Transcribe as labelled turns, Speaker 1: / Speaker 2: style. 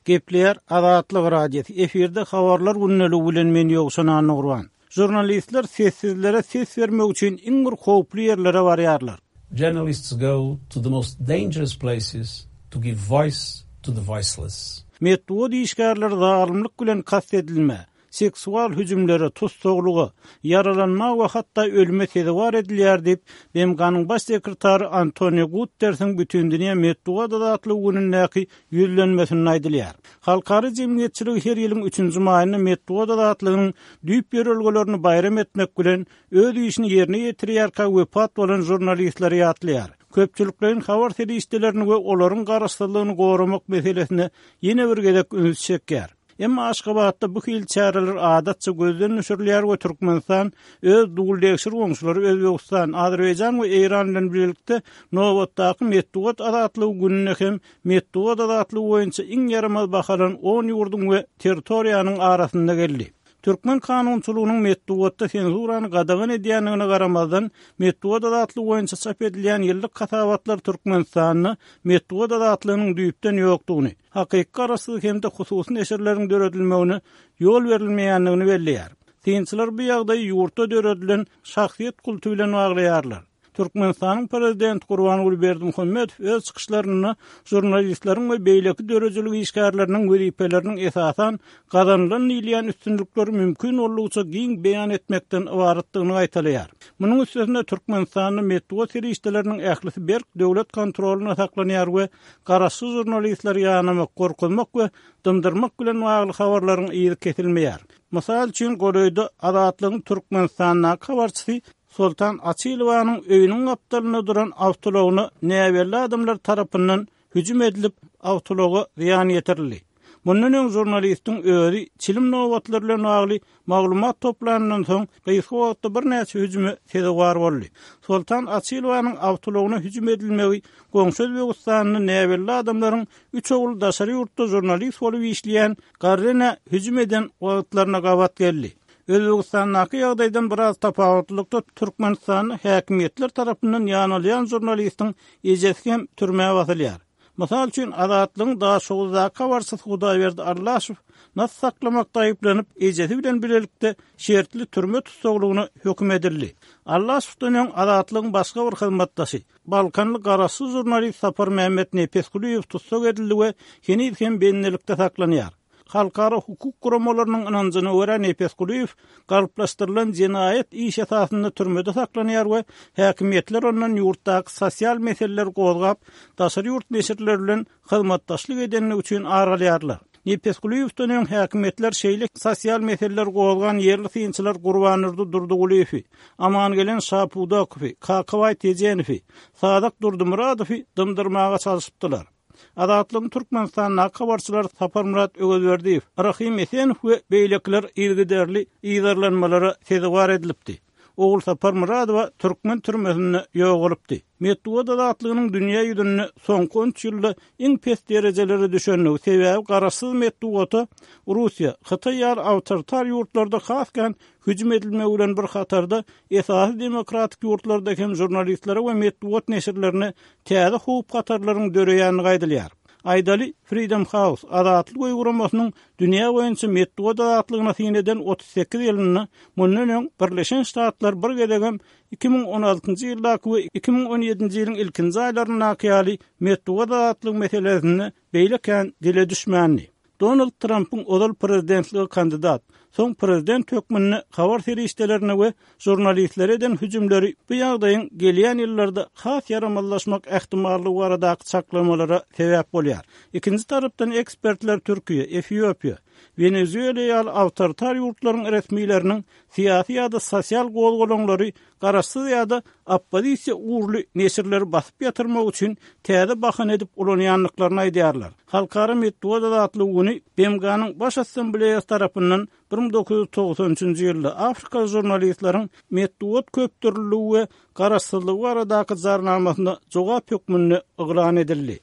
Speaker 1: Gepleýär Azatlyk Radiosy, efirde Habarlar gündeligi bilen men Ýowşan Annagurban. Žurnalistler sessizlere ses bermek üçin iň bir howply ýerlere barýarlar.
Speaker 2: Journalists go to the most dangerous places to give voice to the voiceless.
Speaker 1: Metbugat işgärleri zalymlyk bilen kast edilmä, seksual hüjümlere, tussaglyga, ýaralanma we hatda ölüme sezewar edilýär diýip, BMG-niň Baş sekretary Antonio Guttersiň Bütindünýä metbugat azatlygy günündäki ýüzlenmesinde aýdylýar. Halkara jemgyýetçiligi her ýylyň üçünji maýynda metbugat azatlygynyň düýp ýörelgelerini baýram etmek bilen, öz işini ýerine ýetirýärkä wepat bolan žurnalistleri ýatlaýar. Köpçülikleýin habar serişdelerini we olaryň garaşsyzlygyny goramak meselesine ýene bir gezek üns çekýär. Emma Aşgabatda bu hili çäreler adatça gözden düşürilýär we Türkmenistan öz duldegşir goňşulary Özbegistan, Azerbaýjan we Eýran bilen bilelikde nobatdaky metbugat azatlygy gününde hem metbugat azatlygy boýunça iň ýaramaz bahalan on ýurduň we territoriýanyň arasynda geldi. Türkmen kanunçylygynyň metbugatda senzurany gadagan edýändigine garamazdan, metbugat azatlygy boýunça çap edilýän ýyllyk hasabatlar Türkmenistanda metbugat azatlygynyň düýpden ýokdugyny, hakyky garaşsyz hem-de hususy neşirleriň döredilmegine ýol berilmeýändigini belleýär. Synçylar bu ýagdaýy ýurtda döredilen şahsyýet kulty bilen baglaýarlar. Türkmenistanyň Prezidenti Gurbanguly Berdimuhamedow öz çykyşlarynda žurnalistleriň we beýleki döredijilik işgärleriniň wezipeleriniň esasan gazanylan diýilýän üstünlikleri mümkin boldugyça giň beýan etmekden ybaratdygyny gaýtalaýar. Munuň üstesine Türkmenistanda metbugat serişdeleriniň ählisi berk döwlet kontrolynda saklanýar we garaşsyz žurnalistleri ýanamak, gorkuzmak we dymdyrmak bilen bagly habarlaryň yzy kesilmeýär. Mysal üçin, golaýda Azatlygyň Türkmenistandaky habarçysy Soltan Açylowanyň öýüniň gapdalynda duran awtoulagyna näbelli adamlar tarapyndan hüjüm edilip, awtoulaga zyýan ýetirildi. Mundan öň žurnalistiň özi çilim nobatlary bilen bagly maglumat toplanyndan soň, gysga wagtda birnäçe hüjüme sezewar boldy. Soltan Açylowanyň awtoulagyna hüjüm edilmegi goňşy Özbegistanda näbelli adamlaryň üç ogly daşary ýurtda žurnalist bolup işleýän Garrenä hüjüm eden wagtlaryna gabat geldi. Özbegistandaky ýagdaýdan biraz tapawutlylykda Türkmenistanda häkimiýetler tarapyndan ýanalýan žurnalistiň ejesi hem türmä basylýar. Mysal üçin, Azatlygyň Daşoguzdaky habarçysy Hudaýberdi Allaşow nas saklamakda aýyplanyp, ejesi bilen bilelikde şertli türme tussaglygyna höküm edildi. Allaşowdan öň Azatlygyň başga bir hyzmatdaşy, balkanly garaşsyz žurnalist Saparmämmet Nepesgulyýew tussag edildi we heniz hem bendilikde saklanýar. Halkara hukuk guramalarynyň ynanjyna görä Nepesgulyýew galplaşdyrylan jenaýat iş esasynda türmede saklanýar we häkimiýetler ondan ýurtdaky sosial meseleleri gozgap, daşary ýurt neşirleri bilen hyzmatdaşlyk edenligi üçin ar alýarlar. Nepesgulyýewden öň häkimiýetler şeýle sosial meseleleri gozgan ýerli synçylar Gurbandurdy Durdygulyýewi, Amangelen Şapudakowy, Kakabaý Tejenowy, Sadak Durdymyradowy dymdyrmaga çalşypdylar. Azatlygyň Türkmenistandaky habarçylary Saparmyrat Öwezberdiýew, Rahym Esenow we beýlekiler yzygiderli yzarlanmalara sezewar edilipdi. Ogulsapar Myradowa türkmen türmesinde ýogalypdy. Metbugat azatlygynyň dünýä ýüzünde soňky on üç ýylda iň pes derejelere düşendigi, sebäbi garaşsyz metbugata Russiýa, Hytaý ýaly awtoritar ýurtlarda has kän hüjüm edilmegi bilen bir hatarda esasy demokratik ýurtlarda hem žurnalistlere we metbugat neşirlerine täze howp-hatarlaryň döreýändigi aýdylýar. Aýdaly, Freedom House, Azatlyk öýi guramasynyň dünýä boýunça metbugat azatlygyna syn eden 38 ýylynda mundan öň Birleşen Ştatlar bir gezegem 2016-njy ýyldaky we 2017-nji ýylyň ilkinji aýlaryndaky ýaly metbugat azatlygy meselesinde beýle kän dile düşmändi. Donald Trampyň ozal prezidentlige kandidat, soň prezident hökmünde habar serişdelerine we žurnalistlere eden hüjümleri bu ýagdaýyň gelýän ýyllarda has ýaramazlaşmak ähtimallygy baradaky çaklamalara sebäp bolýar. Ikinji tarapdan ekspertler Türkiýe, Efiopiýa, Wenezuela ýaly awtoritar ýurtlaryň resmileriniň syýasy ýa-da sosial gozgalaňlary garaşsyz ýa-da oppozisiýa ugurly neşirleri basyp ýatyrmak üçin täze bahana edip ulanýandyklaryny aýdýarlar. Halkara metbugat azatlygy güni BMG-niň Baş Assambleýasy tarapyndan 1993-nji ýylda afrikaly žurnalistleriň metbugat köpdürlüligi we garaşsyzlygy baradaky jarnamasyna jogap hökmünde yglan edildi.